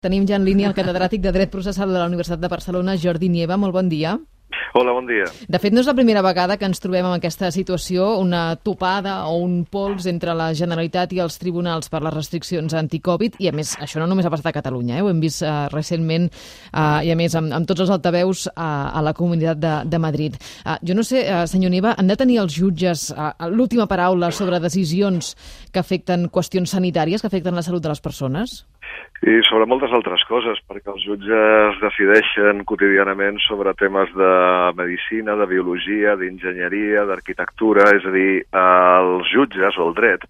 Tenim ja en línia el catedràtic de Dret Processal de la Universitat de Barcelona, Jordi Nieva. Molt bon dia. Hola, bon dia. De fet, no és la primera vegada que ens trobem en aquesta situació, una topada o un pols entre la Generalitat i els tribunals per les restriccions anticovid, i a més, això no només ha passat a Catalunya, ho hem vist recentment, i a més amb tots els altaveus a la Comunitat de Madrid. Jo no sé, senyor Nieva, han de tenir els jutges l'última paraula sobre decisions que afecten qüestions sanitàries, que afecten la salut de les persones? I sobre moltes altres coses, perquè els jutges decideixen quotidianament sobre temes de medicina, de biologia, d'enginyeria, d'arquitectura, és a dir, els jutges o el dret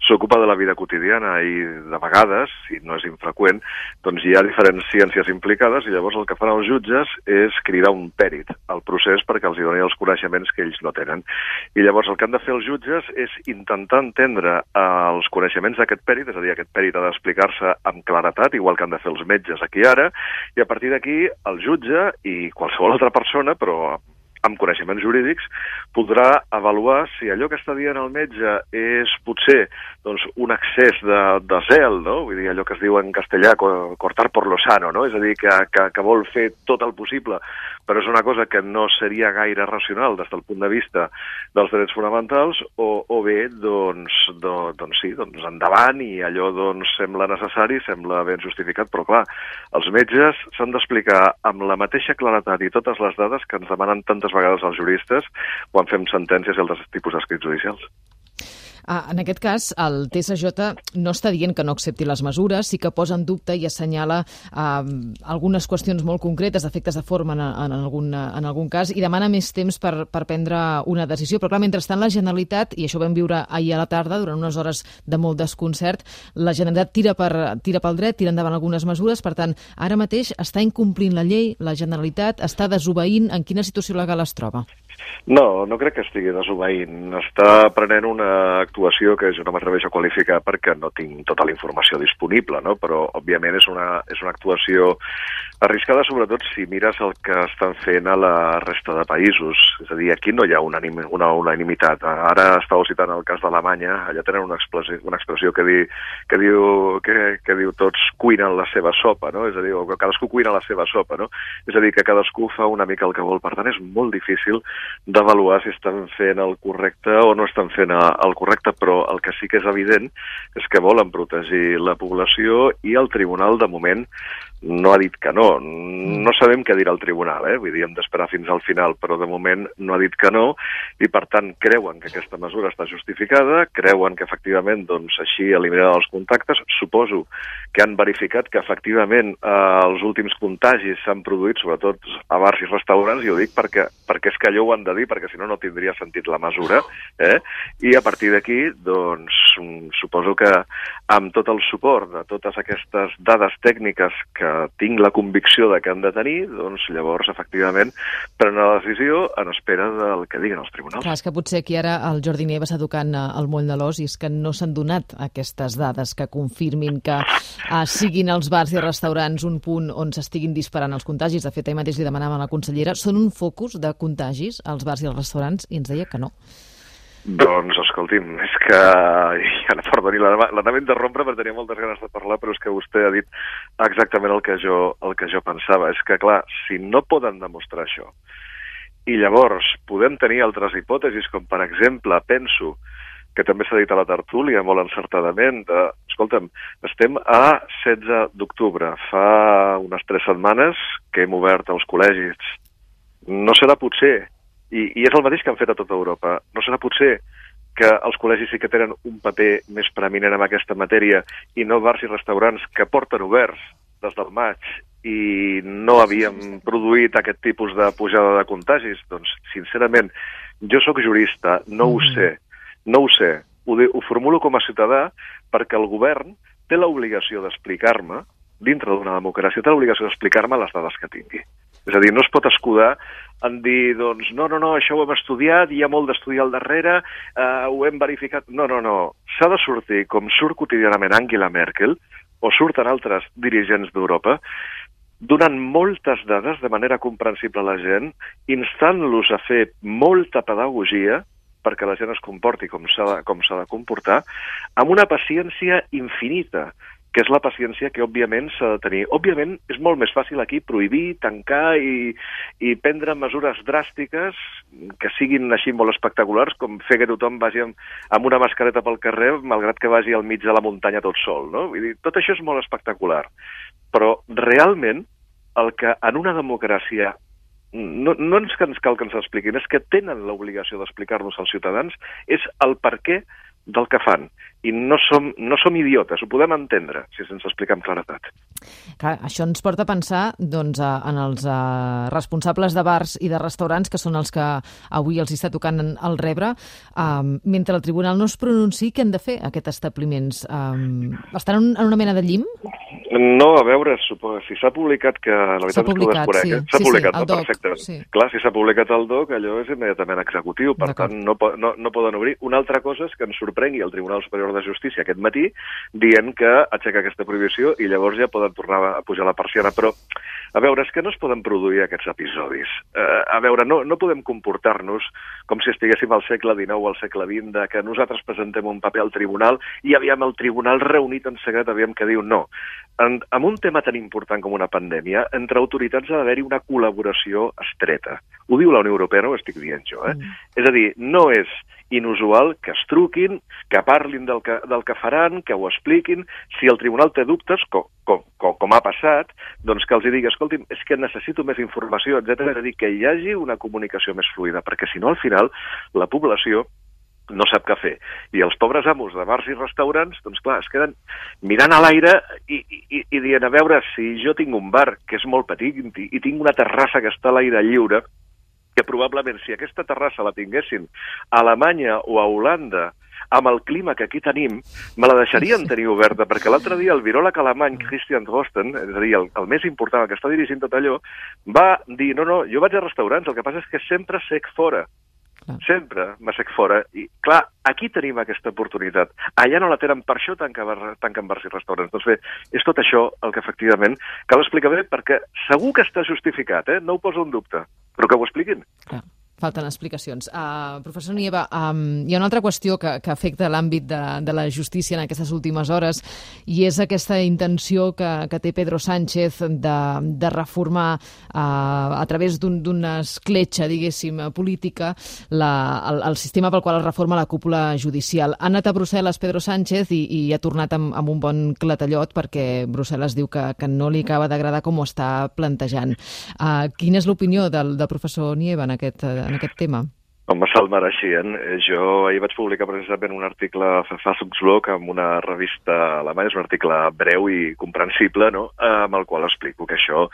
s'ocupa de la vida quotidiana i de vegades, i no és infreqüent, doncs hi ha diferents ciències implicades i llavors el que fan els jutges és cridar un pèrit al procés perquè els hi doni els coneixements que ells no tenen. I llavors el que han de fer els jutges és intentar entendre els coneixements d'aquest pèrit, és a dir, aquest pèrit ha d'explicar-se amb claretat, igual que han de fer els metges aquí ara, i a partir d'aquí el jutge i qualsevol altra persona, però amb coneixements jurídics, podrà avaluar si allò que està dient el metge és potser doncs, un excés de zel, no? Vull dir, allò que es diu en castellà, cortar por lo sano, no? És a dir, que vol fer tot el possible, però és una cosa que no seria gaire racional des del punt de vista dels drets fonamentals, o bé, doncs sí, endavant, i allò doncs, sembla necessari, sembla ben justificat, però clar, els metges s'han d'explicar amb la mateixa claretat i totes les dades que ens demanen tantes vegades els juristes quan fem sentències i altres tipus d'escrits judicials. En aquest cas, el TSJ no està dient que no accepti les mesures, sí que posa en dubte i assenyala algunes qüestions molt concretes, efectes de forma en algun cas, i demana més temps per prendre una decisió. Però clar, mentrestant la Generalitat, i això ho vam viure ahir a la tarda, durant unes hores de molt desconcert, la Generalitat tira pel dret, tira endavant algunes mesures, per tant, ara mateix està incomplint la llei, la Generalitat està desobeint. En quina situació legal es troba? No crec que estigui desobeint. Està prenent una actuació que jo no m'atreveixo a qualificar perquè no tinc tota la informació disponible, no? Però, òbviament, és una actuació arriscada, sobretot si mires el que estan fent a la resta de països. És a dir, aquí no hi ha unanimitat. Ara estàveu citant el cas d'Alemanya, allà tenen una expressió que diu tots cuinen la seva sopa, no? És a dir, cadascú cuina la seva sopa, no? És a dir, que cadascú fa una mica el que vol. Per tant, és molt difícil d'avaluar si estan fent el correcte o no estan fent el correcte, però el que sí que és evident és que volen protegir la població i el tribunal, de moment, no ha dit que no. No sabem què dirà el tribunal, vull dir, hem d'esperar fins al final, però de moment no ha dit que no, i per tant creuen que aquesta mesura està justificada, creuen que efectivament doncs, així eliminaran els contactes. Suposo que han verificat que efectivament els últims contagis s'han produït sobretot a bars i restaurants, i ho dic perquè és que allò ho han de dir, perquè si no, no tindria sentit la mesura, i a partir d'aquí, doncs, suposo que amb tot el suport de totes aquestes dades tècniques que tinc la convicció de que han de tenir, doncs llavors, efectivament, prenen la decisió en espera del que diguin els tribunals. Clar, és que potser aquí ara el Jordi Nieva està tocant el moll de l'os, i és que no s'han donat aquestes dades que confirmin que siguin els bars i restaurants un punt on s'estiguin disparant els contagis. De fet, ahir mateix li demanàvem a la consellera, són un focus de contagis als bars i als restaurants, i ens deia que no. Doncs, escolti'm, és que... Perdoni, l'anava a interrompre perquè tenia moltes ganes de parlar, però és que vostè ha dit exactament el que jo pensava. És que, clar, si no poden demostrar això, i llavors podem tenir altres hipòtesis, com per exemple, penso, que també s'ha dit a la tertúlia molt encertadament, escolta'm, estem a 16 d'octubre, fa unes 3 setmanes que hem obert els col·legis. No serà potser, i és el mateix que han fet a tota Europa, no serà potser que els col·legis sí que tenen un paper més preeminent en aquesta matèria i no bars i restaurants que porten oberts des del maig i no havíem produït aquest tipus de pujada de contagis? Doncs, sincerament, jo sóc jurista, no ho sé, ho formulo com a ciutadà perquè el govern té l'obligació d'explicar-me, dintre d'una democràcia, té l'obligació d'explicar-me les dades que tingui. És a dir, no es pot escudar en dir, doncs, no, això ho hem estudiat, hi ha molt d'estudiar al darrere, ho hem verificat... No. S'ha de sortir, com surt quotidianament Angela Merkel, o surten altres dirigents d'Europa, donant moltes dades de manera comprensible a la gent, instant-los a fer molta pedagogia perquè la gent es comporti com s'ha de comportar, amb una paciència infinita. que és la paciència que, òbviament, s'ha de tenir. Òbviament, és molt més fàcil aquí prohibir, tancar i prendre mesures dràstiques que siguin així molt espectaculars, com fer que tothom vagi amb una mascareta pel carrer, malgrat que vagi al mig de la muntanya tot sol, no? Vull dir, tot això és molt espectacular. Però, realment, el que en una democràcia no ens cal que ens expliquin, és que tenen l'obligació d'explicar-nos als ciutadans, és el perquè del que fan. I no som idiotes, ho podem entendre si se'ns explica amb claretat. Clar, això ens porta a pensar doncs, en els responsables de bars i de restaurants, que són els que avui els està tocant el rebre. Mentre el tribunal no es pronunciï, què han de fer aquests establiments? Estan en una mena de llim? No, a veure, si s'ha publicat que... La veritat és que ho desconec. S'ha publicat, el DOC, perfecte. Sí. Clar, si s'ha publicat el DOC, allò és immediatament executiu, per tant no poden obrir. Una altra cosa és que ens sorprengui el Tribunal Superior de Justícia aquest matí dient que aixeca aquesta prohibició i llavors ja poden tornar a pujar la persiana. Però, a veure, és que no es poden produir aquests episodis. A veure, no podem comportar-nos com si estiguéssim al segle XIX o al segle XX, que nosaltres presentem un paper al tribunal i aviam el tribunal reunit en secret, aviam que diu no. En un tema tan important com una pandèmia, entre autoritats ha d'haver-hi una col·laboració estreta. Ho diu la Unió Europea, no ho estic dient jo. És a dir, no és inusual que es truquin, que parlin del que faran, que ho expliquin. Si el tribunal té dubtes, com ha passat, doncs que els digui, escolti'm, és que necessito més informació, etc. És a dir, que hi hagi una comunicació més fluida, perquè si no, al final, la població no sap què fer. I els pobres amos de bars i restaurants, doncs clar, es queden mirant a l'aire i dient, a veure, si jo tinc un bar que és molt petit i tinc una terrassa que està a l'aire lliure, que probablement si aquesta terrassa la tinguessin a Alemanya o a Holanda, amb el clima que aquí tenim, me la deixarien tenir oberta, perquè l'altre dia el viròleg alemany Christian Drosten, és a dir, el més important, el que està dirigint tot allò, va dir, no, jo vaig a restaurants, el que passa és que sempre sec fora. Sempre m'assec fora. I, clar, aquí tenim aquesta oportunitat. Allà no la tenen, per això tanquen bars i restaurants. Doncs bé, és tot això el que efectivament cal explicar bé, perquè segur que està justificat, no ho poso en dubte, però que ho expliquin. Clar. Falten explicacions. Professor Nieva, hi ha una altra qüestió que afecta l'àmbit de la justícia en aquestes últimes hores i és aquesta intenció que té Pedro Sánchez de reformar a través d'una escletxa, diguéssim, política el sistema pel qual es reforma la cúpula judicial. Ha anat a Brussel·les Pedro Sánchez i ha tornat amb un bon clatellot perquè Brussel·les diu que no li acaba d'agradar com ho està plantejant. Quina és l'opinió del professor Nieva en aquest tema? Home, se'l mereixien. Jo ahir vaig publicar precisament un article a Verfassungsblog amb una revista alemanya, és un article breu i comprensible, no?, amb el qual explico que això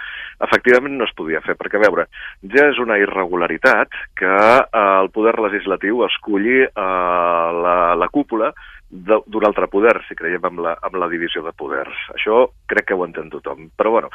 efectivament no es podia fer, perquè, a veure, ja és una irregularitat que el poder legislatiu esculli la cúpula d'un altre poder, si creiem amb la divisió de poders. Això crec que ho entén tothom. Però, bueno,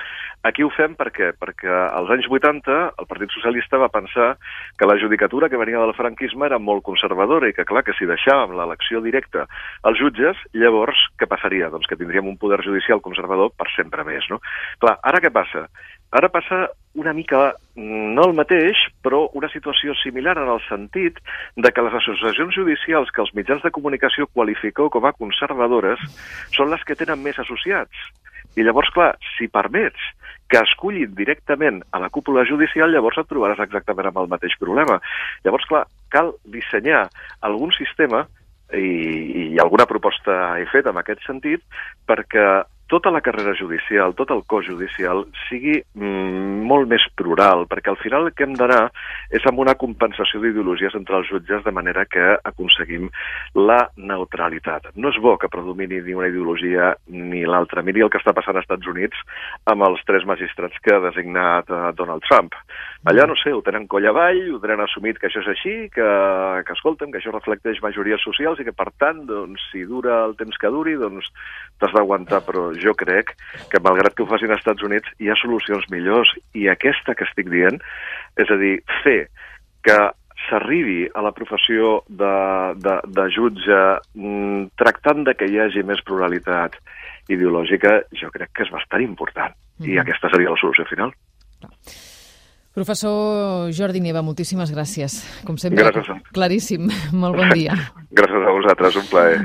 aquí ho fem perquè als anys 80 el Partit Socialista va pensar que la judicatura que venia del franquisme era molt conservadora i que, clar, que si deixàvem l'elecció directa als jutges, llavors què passaria? Doncs que tindríem un poder judicial conservador per sempre més, no? Clar, ara què passa? Ara passa una mica, no el mateix, però una situació similar en el sentit de que les associacions judicials que els mitjans de comunicació qualifiqueu com a conservadores són les que tenen més associats. I llavors, clar, si permets que escullin directament a la cúpula judicial, llavors et trobaràs exactament amb el mateix problema. Llavors, clar, cal dissenyar algun sistema, i alguna proposta he fet en aquest sentit, perquè tota la carrera judicial, tot el cos judicial sigui molt més plural, perquè al final el que hem d'anar és amb una compensació d'ideologies entre els jutges de manera que aconseguim la neutralitat. No és bo que predomini ni una ideologia ni l'altra. Miri el que està passant als Estats Units amb els 3 magistrats que ha designat Donald Trump. Allà, no sé, ho tenen coll avall, ho tenen assumit que això és així, que escolta'm, que això reflecteix majories socials i que, per tant, doncs, si dura el temps que duri, doncs t'has d'aguantar, però jo crec que, malgrat que ho facin als Estats Units, hi ha solucions millors. I aquesta que estic dient, és a dir, fer que s'arribi a la professió de jutge tractant de que hi hagi més pluralitat ideològica, jo crec que és bastant important. I aquesta seria la solució final. Professor Jordi Nieva, moltíssimes gràcies. Com sempre, claríssim. Molt bon dia. Gràcies a vosaltres, un plaer.